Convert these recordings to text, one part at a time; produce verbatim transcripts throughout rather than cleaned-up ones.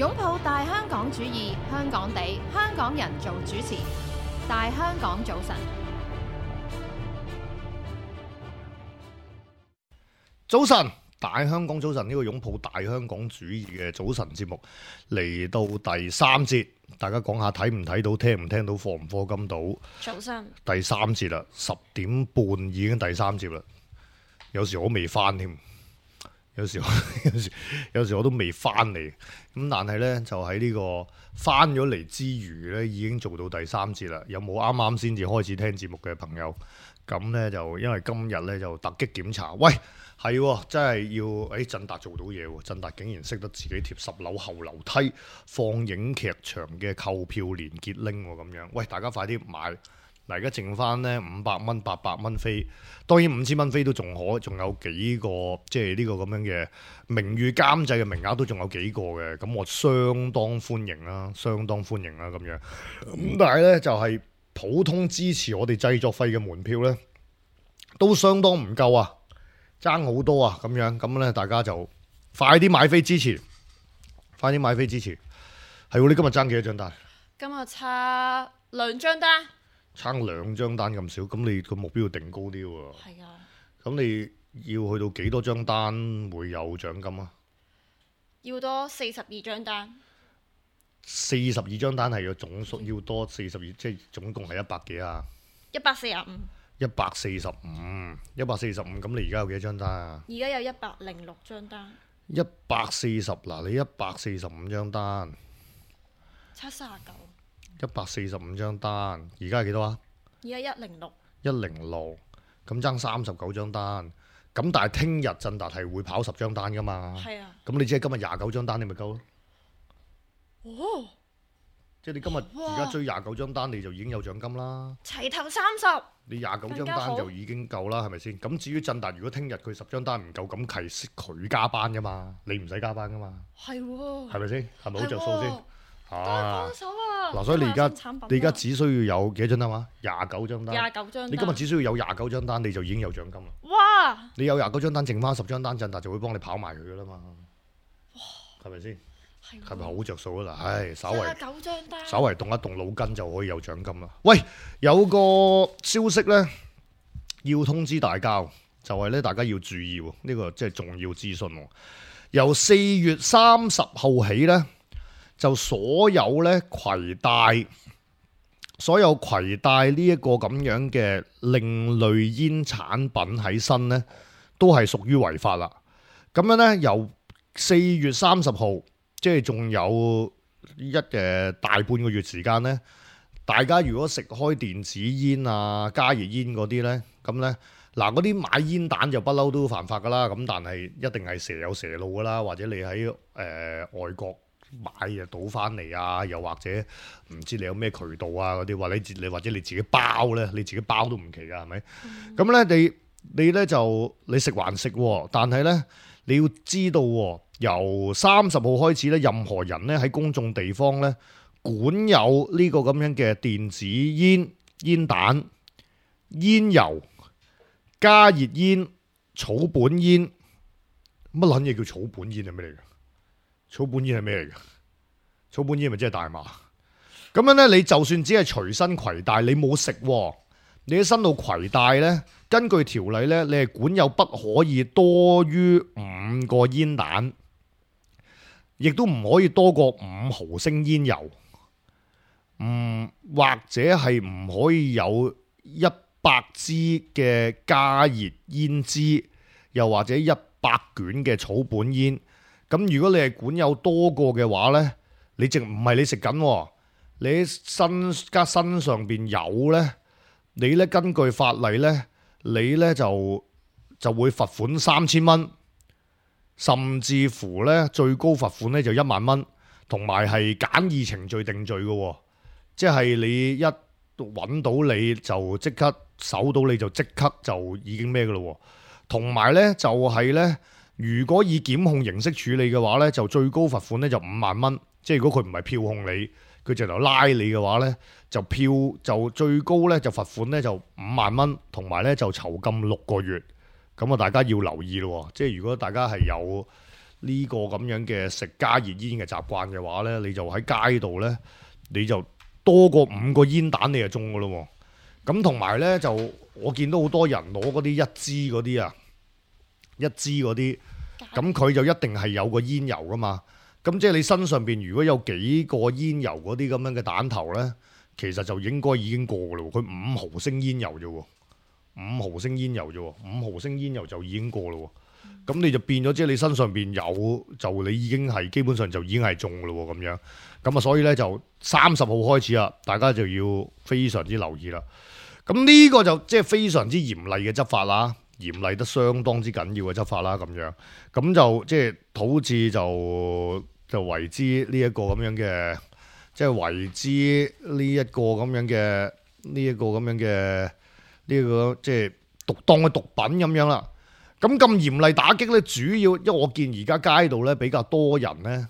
擁抱大香港主義，香港地，香港人做主持。大香港早晨，早晨，大香港早晨呢個擁抱大香港主義嘅早晨節目嚟到第三節，大家講下睇唔睇到、聽唔聽到、課唔課金到？早晨，第三節啦，十點半已經第三節啦，有時我未翻添。有時有時有時我都未翻嚟，咁但係呢，就喺呢個翻咗嚟之餘呢，已經做到第三節啦。有冇啱啱先至開始聽節目嘅朋友？咁呢，就因為今日呢，就突擊檢查，喂係真係要誒振達做到嘢喎，振達竟然識得自己貼十樓後樓梯放映劇場嘅購票連結拎喎，咁樣喂大家快啲買！嗱，而家剩翻呢五百蚊、八百蚊飛，當然五千蚊飛都仲可，仲有幾個即係呢個咁樣嘅名譽監製嘅名額都仲有幾個嘅，咁我相當歡迎啦，相當歡迎啦咁樣。咁但係呢，就係、是、普通支持我哋製作費嘅門票呢，都相當唔夠啊，爭好多啊咁樣。咁呢，大家就快啲買飛支持，快啲買飛支持。係喎，你今日爭幾多張單？今日差兩張單。差兩張單咁少，咁你個目標要定高啲喎。係啊。咁你要去到幾多張單會有獎金啊？要多四十二張單。四十二張單係個總數要多四十二，即係總共係一百幾啊？一百四十五。一百四十五，一百四十五。咁你而家有幾多張單啊？而家有一百零六張單。一百四十嗱，你一百四十五張單，差三十九。一百四十五張單，而家係幾多啊？而家一零六。一零六，咁爭三十九張單。咁但係聽日振達係會跑十張單噶嘛？係啊。咁你只係今日廿九張單，你咪夠咯。哦。即係你今日而家追廿九張單，你就已經有獎金啦。齊頭三十。你廿九張單就已經夠啦，係咪先？咁至於振達，如果聽日佢十張單唔夠，咁係佢加班噶嘛，你唔使加班噶嘛。係喎。係咪先？係咪好着數先？啊！幫手啊！嗱，所以你而家你而家只需要有幾多張單啊？廿九張單。廿九張單。你今日只需要有廿九張單，你就已經有獎金啦。哇！你有廿九張單，剩翻十張單，振達就會幫你跑埋佢噶啦嘛。哇！係咪先？係咪好着數啊？嗱，唉，稍微廿九張單，稍微動一動腦筋就可以有獎金啦。喂，有個消息呢，要通知大家，就係咧大家要注意喎，呢個即係重要資訊。由四月三十號起呢，就所有咧攜帶所有攜帶呢一個咁樣嘅另類煙產品喺身呢，都係屬於違法啦。咁樣呢，由四月三十號，即係仲有一誒大半個月時間呢，大家如果食開電子煙啊、加熱煙嗰啲呢，咁呢，嗱嗰啲買煙彈就不嬲都犯法噶啦。咁但係一定係蛇有蛇路噶啦，或者你喺誒、呃、外國買就倒翻嚟啊，又或者唔知你有咩渠道啊嗰啲，或者你或者你自己包咧，你自己包都唔奇噶，係咪？咁咧、嗯，你你咧就你食還食，但係咧你要知道，由三十號開始咧，任何人咧喺公眾地方咧管有呢個咁樣嘅電子煙、煙彈、煙油、加熱煙、草本煙，乜撚嘢叫草本煙係咩嚟嘅？草本煙係咩嚟嘅？草本煙咪即係大麻？咁樣呢，你就算只係隨身攜帶，你冇食，你喺身度攜帶呢，根據條例呢，你係管有不可以多於五個煙彈，亦都唔可以多過五毫升煙油，唔或者係唔可以有一百支嘅加熱煙支，又或者一百卷嘅草本煙。咁如果你係管有多個嘅話呢，你淨唔係你食緊，你喺身加身上邊有呢，你呢根據法例呢，你呢就就會罰款三千蚊，甚至乎呢最高罰款呢就一萬蚊，同埋係簡易程序定罪嘅，即係你一揾到你就即刻搜到你就即刻就已經咩嘅咯，同埋呢就係呢。如果以檢控形式處理嘅話呢，就最高罰款呢就五萬蚊。即係如果佢唔係票控你，佢直頭拉你嘅話呢，就票就最高呢就罰款呢就五萬蚊，同埋呢就囚禁六個月。咁啊，大家要留意咯。即係如果大家係有呢個咁樣嘅食加熱煙嘅習慣嘅話咧，你就喺街度咧，你就多過五個煙彈你就中噶咯。咁同埋咧就我見到好多人攞嗰啲一支嗰啲啊，一支嗰啲，咁佢就一定係有個煙油噶嘛。咁即係你身上邊如果有幾個煙油嗰啲咁樣嘅彈頭咧，其實就應該已經過噶咯。佢五毫升煙油啫喎，五毫升煙油啫喎，五毫升煙油就已經過咯。咁你就變咗，即係你身上邊有，就你已經係基本上就已經係中噶咯咁樣。咁啊，所以咧就三十號開始啦，大家就要非常之留意啦。咁呢個就即係非常之嚴厲嘅執法啦，嚴厲得相當之緊要嘅執法啦咁樣。咁就即係好似就就為之呢一個咁樣嘅，即係為之呢一個咁樣嘅呢一個咁樣嘅呢個即係毒當嘅毒品咁樣啦。咁咁嚴厲打擊咧，主要因為我見而家街道咧比較多人咧，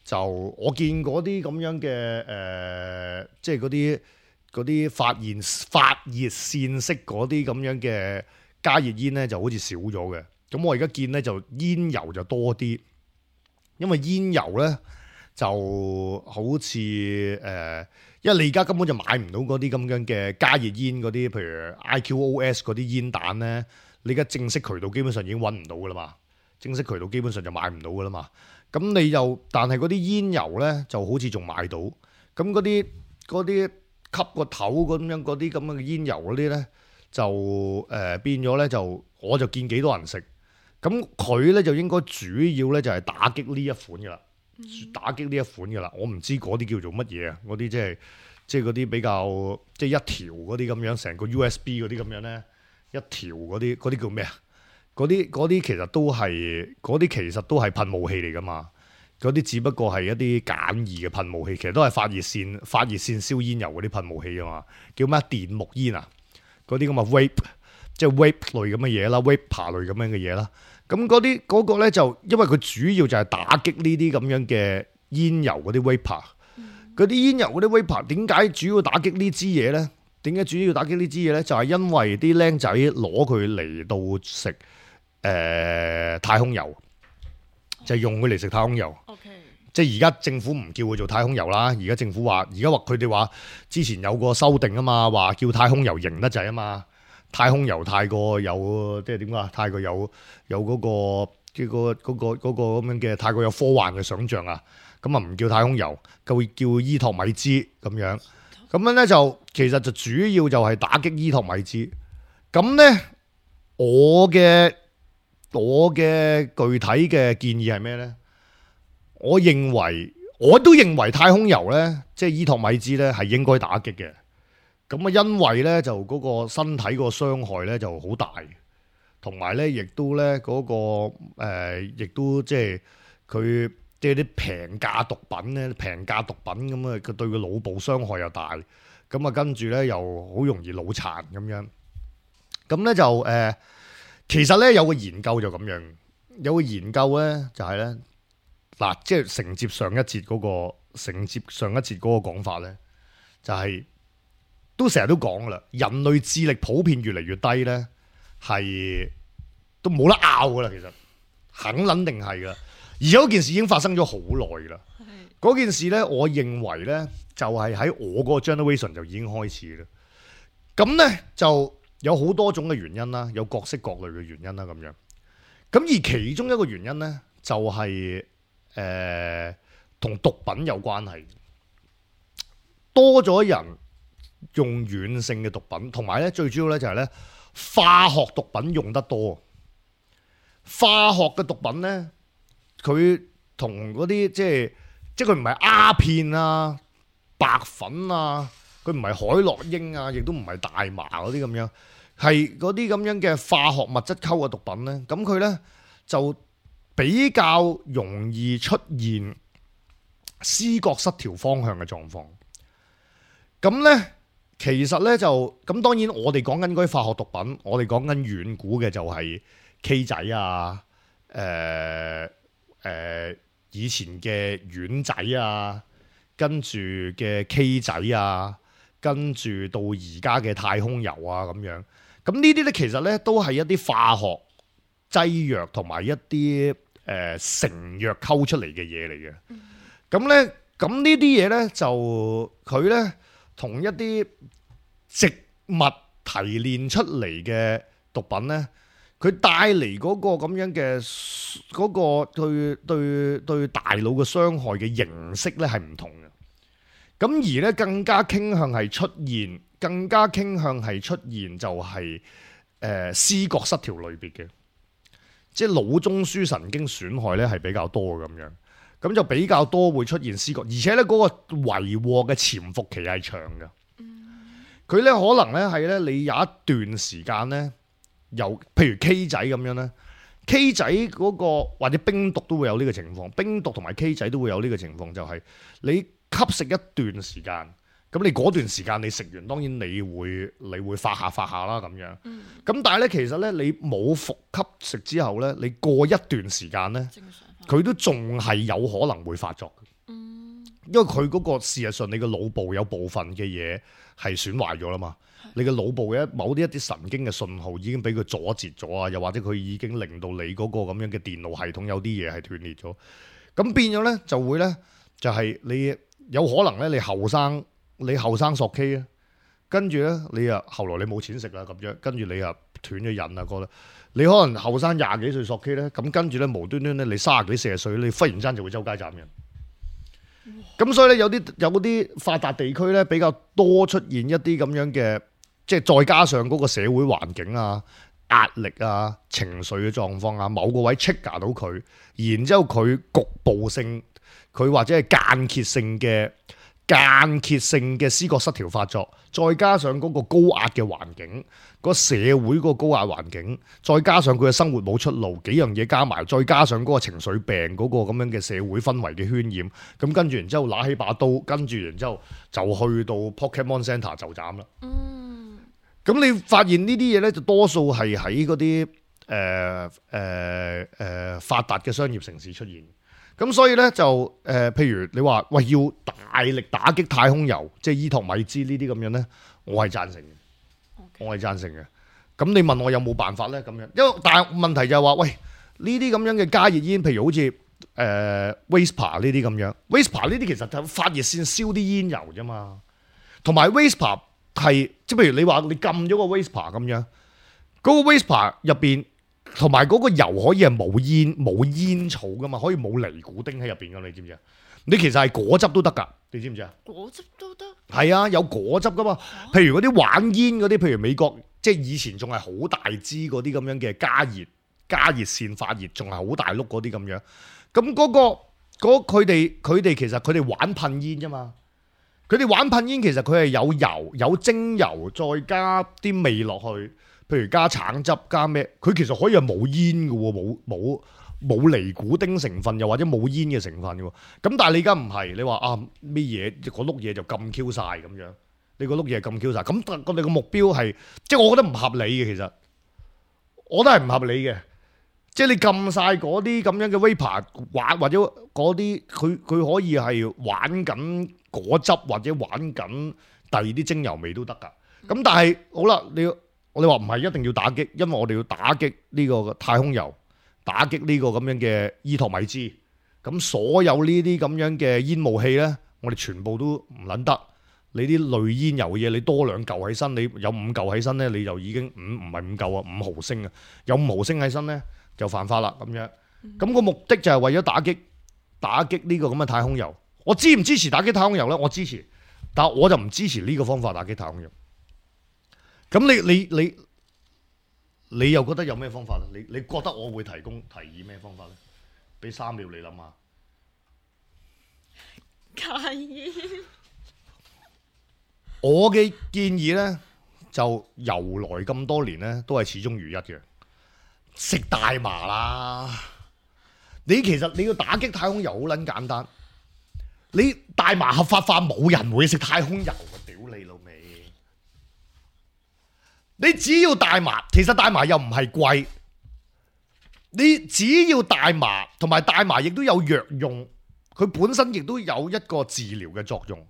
就我見嗰啲咁樣嘅誒、呃，即係嗰啲嗰啲發熱發熱線式嗰啲咁樣嘅加熱煙咧，就好似少咗嘅。咁我而家見咧就煙油就多啲，因為煙油咧就好似誒、呃，因為你而家根本就買唔到嗰啲咁樣嘅加熱煙嗰啲，譬如 I Q O S 嗰啲煙彈咧。你而家正式渠道基本上已經揾唔到噶啦嘛，正式渠道基本上就買唔到噶啦嘛。咁你又，但係嗰啲煙油咧就好似仲買到。咁嗰啲嗰啲吸個頭咁樣嗰啲咁樣嘅煙油嗰啲咧，就誒、呃、變咗咧就，我就見幾多人食。咁佢咧就應該主要咧就係打擊呢一款噶啦，打擊呢一款噶啦。我唔知嗰啲叫做乜嘢啊？嗰啲即係即係嗰啲比較即係一條嗰啲咁樣，成個 U S B 嗰啲咁樣咧。一條嗰啲嗰啲叫咩啊？嗰啲嗰啲其實都係嗰啲其實都係噴霧器嚟噶嘛。嗰啲只不過係一啲簡易嘅噴霧器，其實都係發熱線發熱線燒煙油嗰啲噴霧器啊嘛。叫咩電木煙啊？嗰啲咁嘅 vape， 即係 vape 類咁嘅嘢啦 ，vape 類咁樣嘅嘢啦。咁嗰啲嗰個咧就因為佢主要就係打擊呢啲咁樣嘅煙油嗰啲 vape。嗰啲煙油嗰啲 vape 點解主要打擊呢支嘢咧？點解主要打擊呢支嘢咧？就係、是、因為啲僆仔攞佢嚟到食誒、呃、太空油，就係、是、用佢嚟食太空油。Okay. 即係而家政府唔叫佢做太空油啦。而家政府話，而家話佢哋話之前有個修訂啊嘛，話叫太空油型得滯啊嘛。太空油太過有即係點講？太過有有嗰、那個即係、那個嗰、那個嗰、那個咁樣嘅太過有科幻嘅想像啊。咁啊唔叫太空油，就叫伊托米茲咁樣。咁樣咧就其實就主要就係打擊伊托米茲。咁咧我嘅我嘅具體嘅建議係咩咧？我認為我都認為太空油咧，即係伊托米茲咧係應該打擊嘅。咁啊，因為咧就嗰個身體個傷害咧就好大，同埋咧亦都咧嗰個誒，亦都即係佢。即係啲平價毒品咧，平價毒品咁啊，佢對個腦部傷害又大，咁啊跟住咧又好容易腦殘咁樣。咁咧就誒、呃，其實咧有個研究就咁樣，有個研究咧就係咧嗱，即係承接上一節嗰、嗰個承接上一節嗰個講法咧，就係、係、都成日都講噶啦，人類智力普遍越嚟越低咧，係都冇得拗噶啦，其實肯肯定係噶。而嗰件事已經發生咗好耐啦。嗰件事咧，我認為咧就係、是、喺我嗰個 generation 就已經開始啦。咁咧就有好多種嘅原因啦，有各式各類嘅原因啦咁樣。咁而其中一個原因咧就係誒同毒品有關係，多咗人用軟性嘅毒品，同埋咧最主要咧就係咧化學毒品用得多。化學嘅毒品咧。佢同嗰啲即係即係佢唔係鴉片啊、白粉啊，佢唔係海洛因啊，亦都唔係大麻嗰啲咁樣，係嗰啲咁樣嘅化學物質溝嘅毒品咧。咁佢咧就比較容易出現思覺失調方向嘅狀況。咁咧其實咧就咁，當然我哋講緊嗰啲化學毒品，我哋講緊遠古嘅就係 K 仔啊，誒、呃。誒、呃、以前嘅丸仔啊，跟住嘅 K 仔啊，跟住到而家嘅太空油啊咁樣，咁呢啲咧其實咧都係一啲化學劑藥同埋一啲誒、誒成藥溝出嚟嘅嘢嚟嘅。咁咧，咁呢啲嘢咧就佢咧同一啲植物提煉出嚟嘅毒品咧，佢帶嚟嗰個咁樣嘅嗰個對對對大腦嘅傷害嘅形式咧係唔同嘅。咁而咧更加傾向係出現，更加傾向係出現就係誒思覺失調類別嘅，即係腦中樞神經損害咧係比較多嘅咁樣。咁就比較多會出現思覺，而且咧嗰個為禍嘅潛伏期係長嘅。佢咧可能咧係咧你有一段時間咧，由譬如 K 仔咁樣咧 ，K 仔嗰個或者冰毒都會有呢個情況，冰毒同埋 K 仔都會有呢個情況，就係你吸食一段時間，咁你嗰段時間你食完，當然你會你會發下發下啦咁樣。咁但係咧其實咧你冇服吸食之後咧，你過一段時間咧。佢都仲係有可能會發作，因為佢嗰個事實上你個腦部有部分嘅嘢係損壞咗啦嘛，你嘅腦部嘅某啲一啲神經嘅信號已經俾佢阻截咗啊，又或者佢已經令到你嗰個咁樣嘅電腦系統有啲嘢係斷裂咗，咁變咗咧就會咧就係你有可能咧你後生你後生索 K 啊，跟住咧你啊後來你冇錢食啦咁樣，跟住你啊斷咗癮啊覺得。你可能後生廿幾歲索 K 咧，咁跟住咧無端端咧你三十幾四十歲，你忽然間就會周街斬人。咁所以咧有啲有啲發達地區咧比較多出現一啲咁樣嘅，即係再加上嗰個社會環境啊、壓力啊、情緒嘅狀況啊，某個位 trigger 到佢，然之後佢局部性，佢或者係間歇性嘅。間歇性嘅思覺失調發作，再加上嗰個高壓嘅環境，個社會嗰個高壓環境，再加上佢嘅生活冇出路，幾樣嘢加埋，再加上嗰個情緒病嗰個咁樣嘅社會氛圍嘅渲染，咁跟住然之後拿起把刀，跟住然之後就去到 Pokemon Center 就斬啦。嗯，咁你發現呢啲嘢咧，就多數係喺嗰啲誒誒誒發達嘅商業城市出現。咁所以咧就誒、呃，譬如你話喂要大力打擊太空油，即係伊托米茲呢啲咁樣咧，我係贊成嘅，okay. 我係贊成嘅。咁你問我有冇辦法咧？咁樣，因為但係問題就係話，喂呢啲咁樣嘅加熱煙，譬如好似誒 Vespa 呢啲咁樣 Vespa 呢啲其實就發熱線燒啲煙油啫嘛。同埋 Vespa 係即係譬如你話你撳咗個 Vespa 咁樣，嗰、嗰個 Vespa 入邊。同埋嗰個油可以係冇煙冇煙草噶嘛，可以冇尼古丁喺入邊噶，你知唔知啊？你其實係果汁都得噶，你知唔知啊？果汁都得，係啊，有果汁噶嘛。譬如嗰啲玩煙嗰啲，譬如美國即係以前仲係好大支嗰啲咁樣嘅加熱加熱線發熱，仲係好大碌嗰啲咁樣。咁嗰、嗰個佢哋佢哋其實佢哋玩噴煙啫嘛。佢哋玩噴煙其實佢係有油有精油，再加啲味落去。譬如加橙汁加咩，佢其實可以係冇煙嘅喎，冇冇冇尼古丁成分，又或者冇煙嘅成分嘅喎。咁但係你而家唔係，你話啊咩嘢嗰碌嘢就咁 Q 晒咁樣，你個碌嘢咁 Q 晒，咁我哋個目標係，即係我覺得唔合理嘅，其實我覺得係唔合理嘅。即係你撳晒嗰啲咁樣嘅 vapor 玩，或者嗰啲佢佢可以係玩緊果汁，或者玩緊第二啲精油味都得㗎。咁但係好啦，你要。我哋話唔係一定要打擊，因為我哋要打擊呢個太空油，打擊呢個咁樣嘅伊托米茲。咁所有呢啲咁樣嘅煙霧器咧，我哋全部都唔撚得。你啲類煙油嘅嘢，你多兩嚿起身，你有五嚿起身咧，你就已經五唔係五嚿啊，五毫升啊，有五毫升起身咧就犯法啦咁樣。咁個目的就係為咗打擊打擊呢個咁嘅太空油。我支唔支持打擊太空油咧？我支持，但係我就唔支持呢個方法打擊太空油。咁你你你你又覺得有咩方法咧？你你覺得我會提供提議咩方法咧？俾三秒你諗下。戒煙。我嘅建議咧，就由來咁多年咧，都係始終如一嘅。食大麻啦！你其實你要打擊太空油好撚簡單。你大麻合法化，冇人會食太空油嘅，屌你老味！你只要大麻，其實大麻又唔係貴，你只要大麻，同埋大麻亦都有藥用，佢本身亦都有一個治療嘅作用。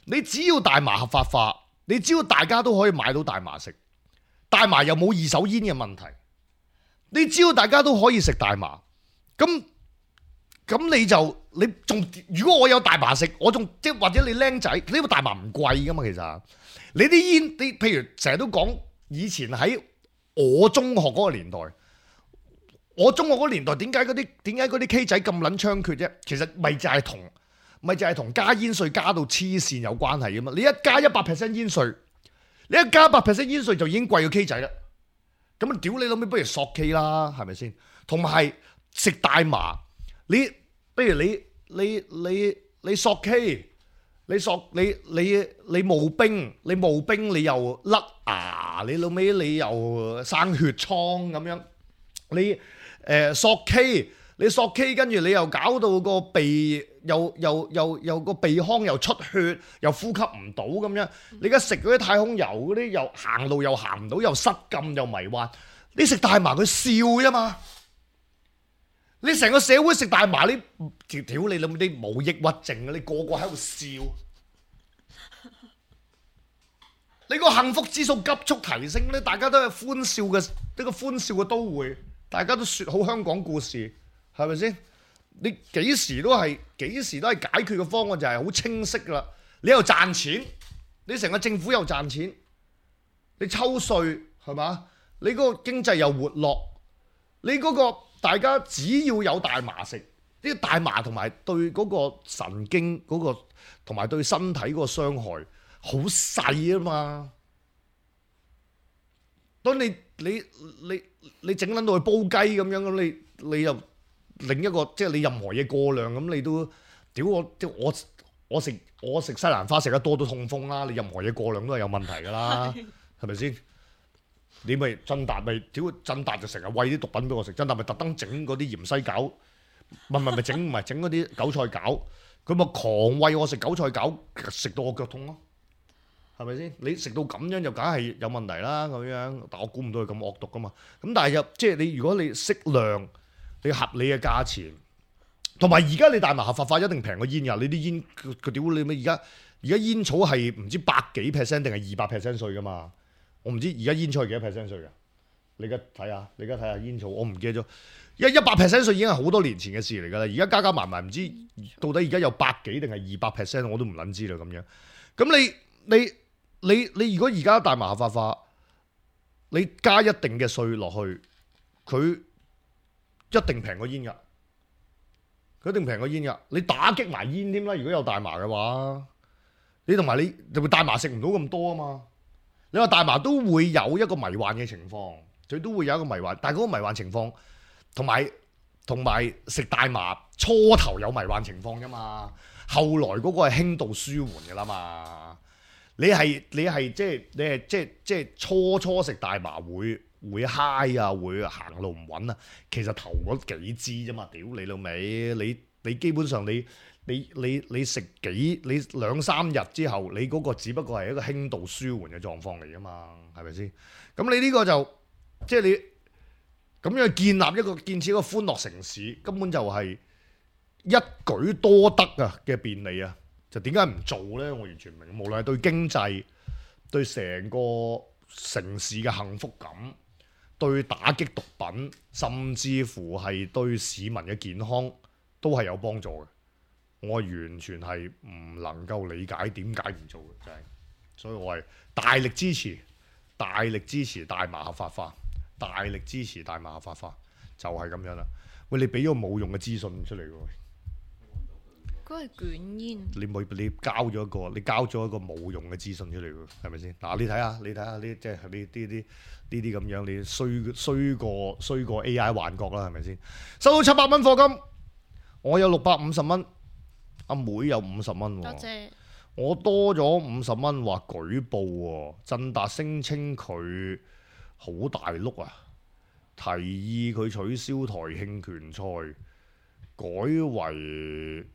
你只要大麻合法化，你只要大家都可以買到大麻食，大麻又冇二手煙嘅問題，你只要大家都可以食大麻，咁咁你就你仲如果我有大麻食，我仲即係或者你僆仔，呢個大麻唔貴噶嘛，其實你啲煙，你譬如成日都講以前喺我中學嗰個年代，我中學嗰個年代點解嗰啲點解嗰啲 K 仔咁撚猖獗啫？其實咪就係同咪就係同加煙稅加到黐線有關係噶嘛？你一加一百 percent 煙稅，你一加一百 percent 煙稅就已經貴過 K 仔啦。咁啊屌你老味，不如索 K 啦，係咪先？同埋係食大麻。你，不如你你你你索 K， 你索你你你冒冰，你冒冰你又甩牙，你老尾你又生血瘡咁樣，你誒、呃、索 K， 你索 K 跟住你又搞到個鼻又又又又個鼻腔又出血，又呼吸唔到咁樣，你而家食嗰啲太空油嗰啲又行路又行唔到，又失禁又迷幻，你食大麻佢笑啫嘛。你成個社會食大麻，你屌你老母啲冇抑鬱症啊！你個個喺度笑，你個幸福指數急速提升咧，大家都係歡笑嘅呢個歡笑嘅都會，大家都説好香港故事，係咪先？你幾時都係幾時都係解決嘅方案就係好清晰啦。你又賺錢，你成個政府又賺錢，你抽稅係嘛？你嗰個經濟又活絡，你嗰個。大家只要有大麻食，呢個大麻同埋對嗰個神經嗰個同埋對身體嗰個傷害好細啊嘛。當你你你你整撚到去煲雞咁樣，咁你你又另一個即係你任何嘢過量咁，你都屌我即我我食我食西蘭花食得多都痛風啦。你任何嘢過量都係有問題㗎啦，係咪先？你咪振達咪屌振達就成日餵啲毒品俾我食，振達咪特登整嗰啲芫茜餃，唔係唔係整唔係整嗰啲韭菜餃，佢咪狂餵我食韭菜餃，食到我腳痛咯，係咪先？你食到咁樣就梗係有問題啦咁樣，但我估唔到佢咁惡毒噶嘛。咁但係又即係你如果你適量，你合理嘅價錢，同埋而家你大麻合法化一定平過煙㗎。你啲煙佢屌你咩？而家而家煙草係唔知百幾 percent 定係二百 percent 稅㗎嘛？我唔知而家煙草係幾多 percent 稅㗎？你而家睇下，你而家睇下煙草，我唔記得咗。一一百 percent 稅已經係好多年前嘅事嚟㗎啦。而家加加埋埋唔知到底而家有百幾定係二百 percent，我都唔撚知啦咁樣。咁你你你你如果而家大麻合法化，你加一定嘅稅落去，佢一定平過煙㗎。佢一定平過煙㗎。你打擊埋煙添啦。如果有大麻嘅話，你同埋你大麻食唔到咁多啊嘛。你話大麻都會有一個迷幻嘅情況，佢都會有一個迷幻，但係嗰個迷幻情況同埋同埋食大麻初頭有迷幻情況㗎嘛，後來嗰個係輕度舒緩㗎啦嘛。你係你係即係你係即係即係初初食大麻會會嗨啊，會行路唔穩啊，其實頭嗰幾支啫嘛，屌你老味，你你基本上你。你你你食幾你兩三日之後，你嗰個只不過係一個輕度舒緩嘅狀況嚟㗎嘛，係咪先？咁你呢個就即係你咁樣建立一個建設一個歡樂城市，根本就係一舉多得啊嘅便利啊！就點解唔做呢？我完全唔明。無論係對經濟、對成個城市嘅幸福感、對打擊毒品，甚至乎係對市民嘅健康，都係有幫助嘅。我完全係唔能夠理解點解唔做嘅，真係，所以我係大力支持，大力支持大麻合法化，大力支持大麻合法化，就係、是、咁樣啦。喂，你俾咗個冇用嘅資訊出嚟喎，嗰係捲煙。你冇你交咗一個，你交咗一個冇用嘅資訊出嚟喎，係咪先？嗱，你睇下，你睇下呢，即係呢啲啲呢啲咁樣，你衰衰過衰過 A I 幻覺啦，係咪先？收到七百蚊課金，我有六百五十蚊。阿妹有五十蚊，多謝。我多咗五十蚊，話舉報喎。振達聲稱佢好大碌啊，提議佢取消台慶拳賽，改為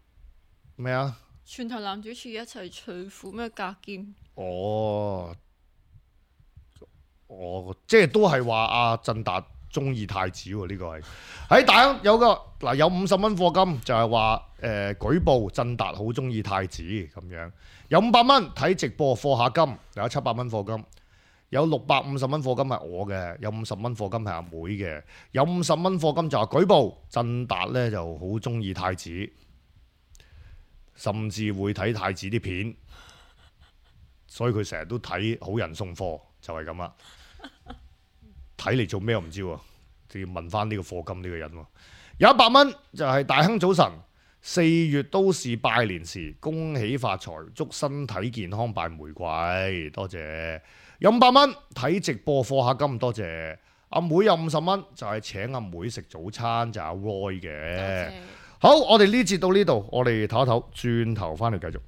咩啊？全台男主持一齊除褲咩格劍？哦，哦，即係都係話阿振達中意太子喎，呢、這個係喺大有個嗱有五十蚊課金，就係話誒舉報振達好中意太子咁樣，有五百蚊睇直播課下金，有七百蚊課金，有六百五十蚊課金係我嘅，有五十蚊課金係阿妹嘅，有五十蚊課金就係舉報。振達呢就好中意太子，甚至會睇太子啲片，所以佢成日都睇好人送貨，就係咁啦。睇嚟做咩我唔知喎，就要問翻呢個課金呢個人喎。有一百蚊就係大亨早晨，四月都是拜年時，恭喜發財，祝身體健康，拜玫瑰，多謝。有五百蚊睇直播課下金，多謝。阿妹有五十蚊就係請阿妹食早餐，就係阿 Roy 嘅。好，我哋呢節到呢度，我哋唞一唞，轉頭翻嚟繼續。